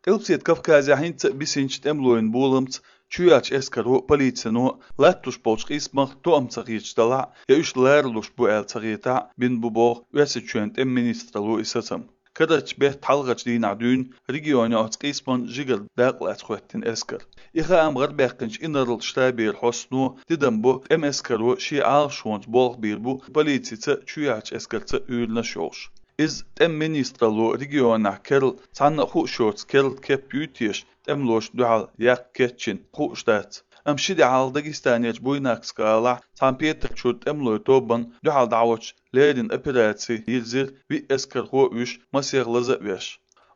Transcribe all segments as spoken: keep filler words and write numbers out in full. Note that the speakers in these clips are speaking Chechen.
Къилбаседа Кавказехь хӀинца а бисинчу тӀемалойн боламца чоьхьарчу эскаро а, полицино а латтош болчу къийсамах тоам ца хеташ далахь а, я уьш ларалуш бу аьлла ца хетахь а, бина бу боху Оьрсийчоьнан тӀеман министралло и сацам. Карарчу беттан хьалхарчу дийнахь дуьйна регионехь оцу къийсаман жигара дакъалаца хӀоьттина эскар. И хаам гӀарабаьккхинчу инарла штабера хьостано тидам бо, тӀеман эскаро шен Ӏалашонца болх бийр бу полицица а, чоьхьарчу эскарца а уьйранаш йолуш. Иза тӀеман министралло регионехь керла, цхьанна а хууш йоцу керла кеп юй теша, тӀемалошна дуьхьал яккха кечйина, хууш дац. Амма ши де хьалха Дагестанерчу Буйнакск гӀалахь цхьана петарчу тӀемалойн тобанна дуьхьал дӀахьочу леррина операци йирзира виъ эскархо а вуьйш, масех лаза а веш.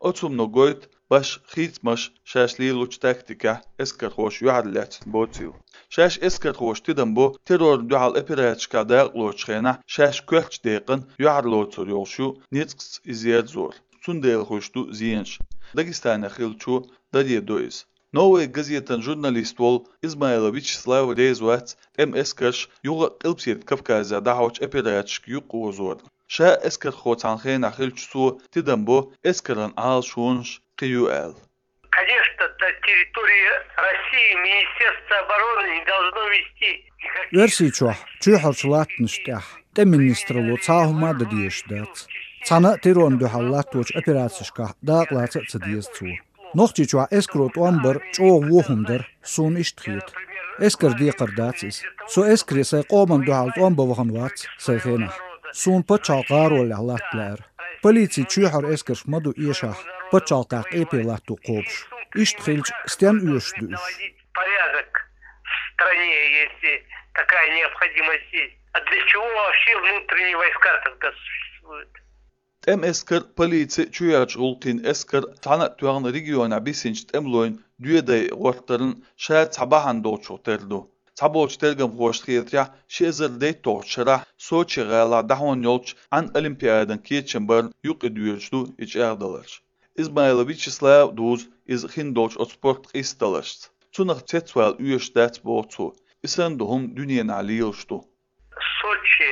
Оцу хӀумано гойту башха хийцамаш шаьш лелочу тактикехь эскархоша юьхьарлаьцна боцийла. Шаьш эскархоша тидам бо террорна дуьхьал операцешкахь дакъалоцучу хенахь шаьш коьртачу декъана юьхьарлоцур йолуш ю ницкъаца иза ерзор. Цундела хуьйш ду зенаш. Дагестанехь хиллачо даре до иза. «Новая газетан» журналист волу Измайлов Вячеслав реза вац тӀеман эскарш юха а Къилбаседа Кавказехь дӀахьочу операцешка юкъаозорна. Ша эскархо цхьана хенахь хилча цо тидам бо эскаран Ӏалашонаш кхин ю аьлла. Конечно, на территории России Министерство обороны не должно вести никаких... Оьрсийчохь чоьхьарчу латтанаш тӀехь тӀеман министралло цхьа а хӀума а дан дезаш дац. Цхьана а террорна дуьхьал латточу операцешкахь дакъалаца а ца деза цо. Нохчийчохь эскаро тӀом бар чӀогӀа вон хӀума дара, суна иштта хета. Эскаран декхар дац иза. Со эскаре сайн къоман дуьхьал тӀом бан вахана вац сайн хенахь. Суна пачхьалкхан гӀароллехь латта лаьара. Полицин чоьхьара эскарш ма ду эшахь, пачхьалкхехь къепе латто кхобуш. Иштта хилча, стенна оьшуш ду уьш? Порядок в стране, если такая необходимость есть. А для чего вообще внутренние войска тогда существуют? ТӀеман эскар, полици, чоьхьарчу гӀуллакхийн эскар цхьаьна а тоьхна регионехь бисинчу тӀемалойн доьдай гӀортаран ша цхьа бахьана долчух тера ду. Цхьаболчу тергамхошна хетарехь, ши эзар дейтталгӀачу шарахь Сочи гӀалахь дӀахьон йолчу Ӏан олимпиадан кечам барна юкъа доьжуш ду и чӀагӀдаларш. Измайлов Вячеслав дузу иза хин долчу оцу спорт къийсадаларшца. Цунах цецвала оьшуш дац, боху цо. И санна ду хӀума дуьненахь лелаш ду. Сочи,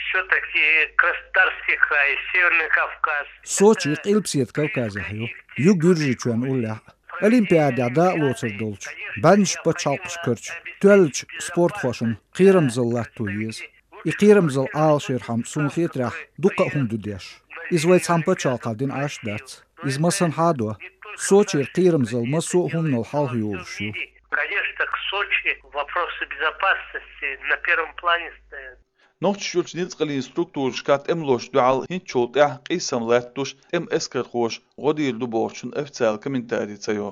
всё-таки Краснодарский край, Северный Кавказ. Сочи Къилбаседа Кавказехь ю. Ю Гуьржийчоьнан уллехь а. Олимпиадехь дакъалоцур долчу бӀеннаш пачхьалкхаш карчу тоьллачу спортхошна кхерамзалла латто еза. И кхерамзалла Ӏалашъярхьама, суна хетарехь, дукха а хӀума ду деш. Иза вай цхьана пачхьалкхехь дина Ӏаш дац. Иза массанхьа а до. Сочера кхерамзалла массо а хӀуманал хьалха йолуш ю. Конечно, к Сочи вопросы безопасности на первом плане стоят. Нохчийчуьрчу ницкъаллин структурашкахь тӀемалошна дуьхьал хӀинцачул тӀаьхьа къийсам латтош тӀеман эскархоша гӀо дийр ду бохучун официалан комментарий ца йо.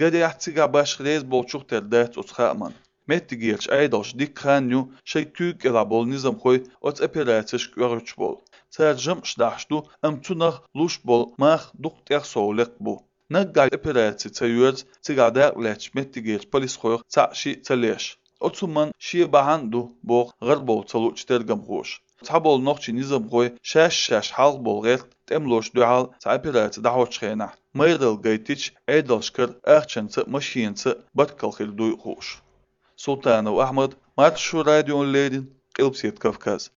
Гарехь, цигахь башха реза болчух тера дац оцу хааман. Меттигерчу Ӏедалша дикка хан ю шайн куьйга кӀелахь болу низамхой оцу операцешка оьхуьйтуш болу. Цара жамӀаш дахьаш ду, амма цунах луш болу мах дукха тӀех сов лекха бу. Наггахь операци ца йоьрзу цигахь дакъалаьцначу меттигерчу полисхойх цхьаъ-шиъ ца леш. Оцу хӀуманна шен бахьана а ду, боху гӀарабовла ца луучу тергамхоша. Цхьаболу нохчийн низамхой шаьш-шаьш хьалха болу гӀерта тӀемалошна дуьхьал цхьа операци дӀахьочу хенахь, майралла гайтича, Ӏедалшкара ахчанца а, машенаца а баркалла хир дуй хууш. Султанов Ахьмад, Маршо радиона леррина, Къилбаседа Кавказ.